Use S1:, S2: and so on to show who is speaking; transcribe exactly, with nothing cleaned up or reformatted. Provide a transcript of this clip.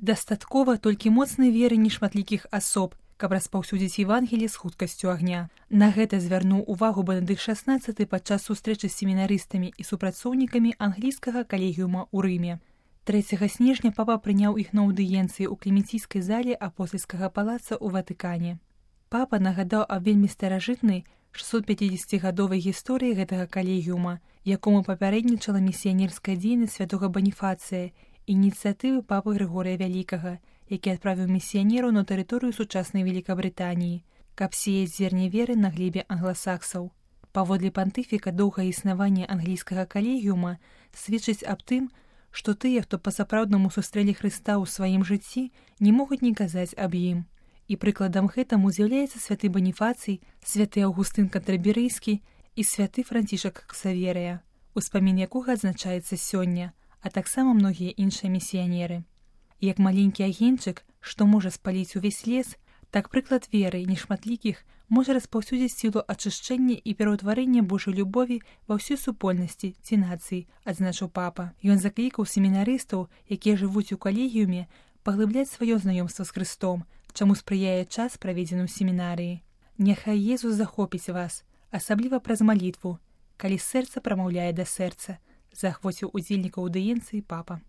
S1: Дастаткова толькі моцнай веры нешматлікіх асоб, каб распаўсюдзіць Евангелі з хуткасцю агня. На гэта звярнуў увагу Бенедыкт шаснаццаты падчас сустрэчы з семінарыстамі і супрацоўнікамі англійскага калегіума ў Рыме. трэцяга снежня папа прыняў іх на аўдыенцыі ў клементійскай зале апостальскага палаца ў Ватыкане. Папа нагадаў аб вельмі старажытнай шэсцьсот пяцідзесяцігадовай гісторыі гэтага калегіума, якому папярэднічала місіянерская дзейнасць святога Баніфацыя, ініцыятывы папы Грыгорыя Вялікага, які адправіў місіянераў на тэрыторыю сучаснай Велікабрытаніі, каб сеяць зерне веры на глебе англасаксаў. Паводле пантыфіка доўгае існаванне англійскага калегіума сведчыць аб тым, што тыя, хто па-сапраўднаму сустрэлі Хрыста ў сваім жыцці, не могуць не казаць аб ім. І прыкладам гэтаму з'яўляецца святы Баніфацый, святы Аўгустын Кантраберыйскі і святы Францішак Ксаверыя, успамін якога адзначаецца сёння, а таксама многія іншыя місіянеры. Як маленькі агеньчык, што можа спаліць увесь лес, так прыклад веры нешматлікіх можа распаўсюдзіць сілу ачышчэння і пераўтварэння Божай любові ва ўсёй супольнасці ці нацыі, адзначыў папа. Ён заклікаў семінарыстаў, якія жывуць у калегіуме, паглыбляць сваё знаёмства з Хрыстом, чаму спрыяе час, праведзены ў семінарыі. Няхай Езус захопіць вас, асабліва праз малітву, калі сэрца прамаўляе да сэрца, заахвоціў удзельнікаў аўдыенцыі папа.